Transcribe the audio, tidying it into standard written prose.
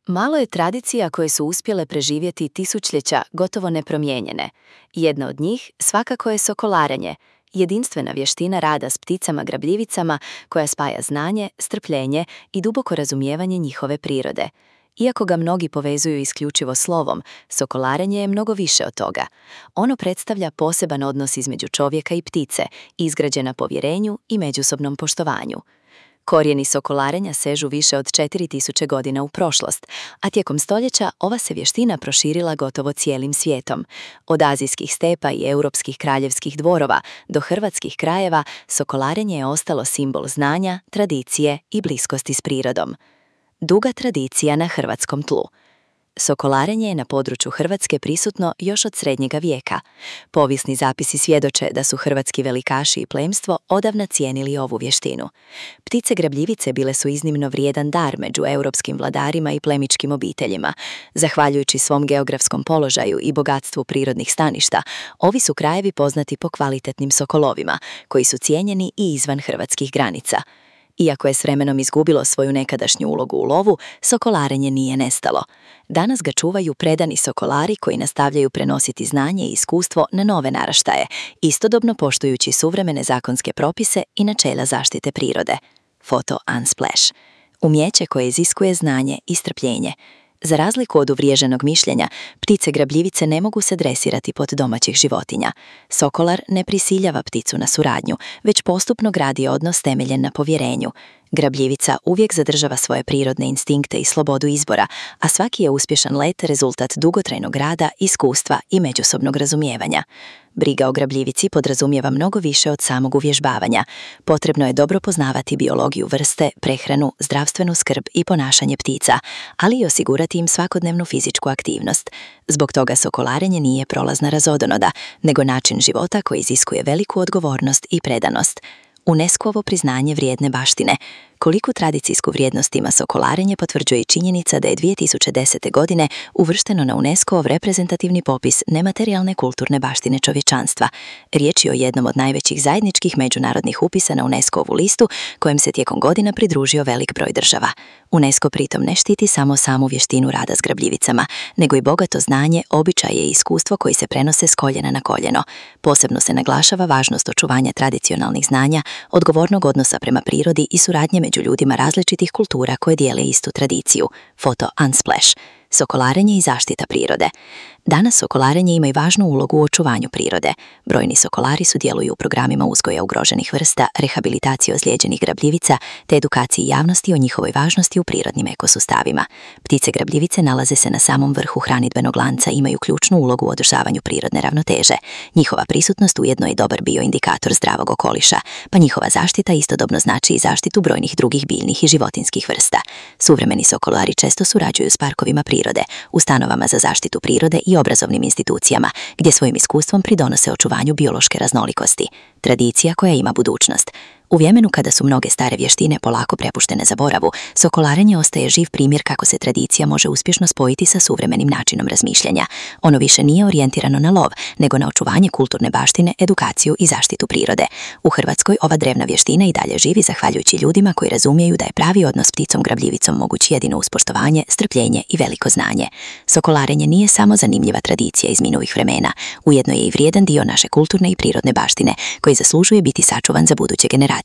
Malo je tradicija koje su uspjele preživjeti tisućljeća gotovo nepromijenjene. Jedna od njih svakako je sokolarenje, jedinstvena vještina rada s pticama grabljivicama koja spaja znanje, strpljenje i duboko razumijevanje njihove prirode. Iako ga mnogi povezuju isključivo slovom, sokolarenje je mnogo više od toga. Ono predstavlja poseban odnos između čovjeka i ptice, izgrađen na povjerenju i međusobnom poštovanju. Korijeni sokolarenja sežu više od 4000 godina u prošlost, a tijekom stoljeća ova se vještina proširila gotovo cijelim svijetom. Od azijskih stepa i europskih kraljevskih dvorova do hrvatskih krajeva, sokolarenje je ostalo simbol znanja, tradicije i bliskosti s prirodom. Duga tradicija na hrvatskom tlu. Sokolarenje je na području Hrvatske prisutno još od srednjega vijeka. Povijesni zapisi svjedoče da su hrvatski velikaši i plemstvo odavna cijenili ovu vještinu. Ptice grabljivice bile su iznimno vrijedan dar među europskim vladarima i plemičkim obiteljima. Zahvaljujući svom geografskom položaju i bogatstvu prirodnih staništa, ovi su krajevi poznati po kvalitetnim sokolovima, koji su cijenjeni i izvan hrvatskih granica. Iako je s vremenom izgubilo svoju nekadašnju ulogu u lovu, sokolarenje nije nestalo. Danas ga čuvaju predani sokolari koji nastavljaju prenositi znanje i iskustvo na nove naraštaje, istodobno poštujući suvremene zakonske propise i načela zaštite prirode. Foto Unsplash. Umijeće koje iziskuje znanje i strpljenje. Za razliku od uvriježenog mišljenja, ptice grabljivice ne mogu se dresirati pod domaćih životinja. Sokolar ne prisiljava pticu na suradnju, već postupno gradi odnos temeljen na povjerenju. Grabljivica uvijek zadržava svoje prirodne instinkte i slobodu izbora, a svaki je uspješan let rezultat dugotrajnog rada, iskustva i međusobnog razumijevanja. Briga o grabljivici podrazumijeva mnogo više od samog uvježbavanja. Potrebno je dobro poznavati biologiju vrste, prehranu, zdravstvenu skrb i ponašanje ptica, ali i osigurati im svakodnevnu fizičku aktivnost. Zbog toga sokolarenje nije prolazna razodonoda, nego način života koji iziskuje veliku odgovornost i predanost. UNESCO-ovo priznanje vrijedne baštine. Koliku tradicijsku vrijednost ima sokolarenje potvrđuje i činjenica da je 2010. godine uvršteno na UNESCO-ov reprezentativni popis nematerijalne kulturne baštine čovječanstva. Riječ je o jednom od najvećih zajedničkih međunarodnih upisa na UNESCO-ovu listu, kojem se tijekom godina pridružio velik broj država. UNESCO pritom ne štiti samo samu vještinu rada s grabljivicama, nego i bogato znanje, običaje i iskustvo koji se prenose s koljena na koljeno. Posebno se naglašava važnost očuvanja tradicionalnih znanja, odgovornog odnosa prema prirodi i suradnje među ljudima različitih kultura koje dijele istu tradiciju. Foto Unsplash. Sokolarenje i zaštita prirode. Danas sokolarenje ima i važnu ulogu u očuvanju prirode. Brojni sokolari sudjeluju u programima uzgoja ugroženih vrsta, rehabilitacije ozlijeđenih grabljivica te edukaciji javnosti o njihovoj važnosti u prirodnim ekosustavima. Ptice grabljivice nalaze se na samom vrhu hranidbenog lanca i imaju ključnu ulogu u održavanju prirodne ravnoteže. Njihova prisutnost ujedno je dobar bioindikator zdravog okoliša, pa njihova zaštita istodobno znači i zaštitu brojnih drugih biljnih i životinjskih vrsta. Suvremeni sokolari često surađuju s parkovima prirode, ustanovama za zaštitu prirode i obrazovnim institucijama, gdje svojim iskustvom pridonose očuvanju biološke raznolikosti. Tradicija koja ima budućnost. U vremenu kada su mnoge stare vještine polako prepuštene zaboravu, sokolarenje ostaje živ primjer kako se tradicija može uspješno spojiti sa suvremenim načinom razmišljanja. Ono više nije orijentirano na lov, nego na očuvanje kulturne baštine, edukaciju i zaštitu prirode. U Hrvatskoj ova drevna vještina i dalje živi zahvaljujući ljudima koji razumiju da je pravi odnos s pticom grabljivicom moguć jedino uz poštovanje, strpljenje i veliko znanje. Sokolarenje nije samo zanimljiva tradicija iz minulih vremena, ujedno je i vrijedan dio naše kulturne i prirodne baštine koji zaslužuje biti sačuvan za buduće generacije.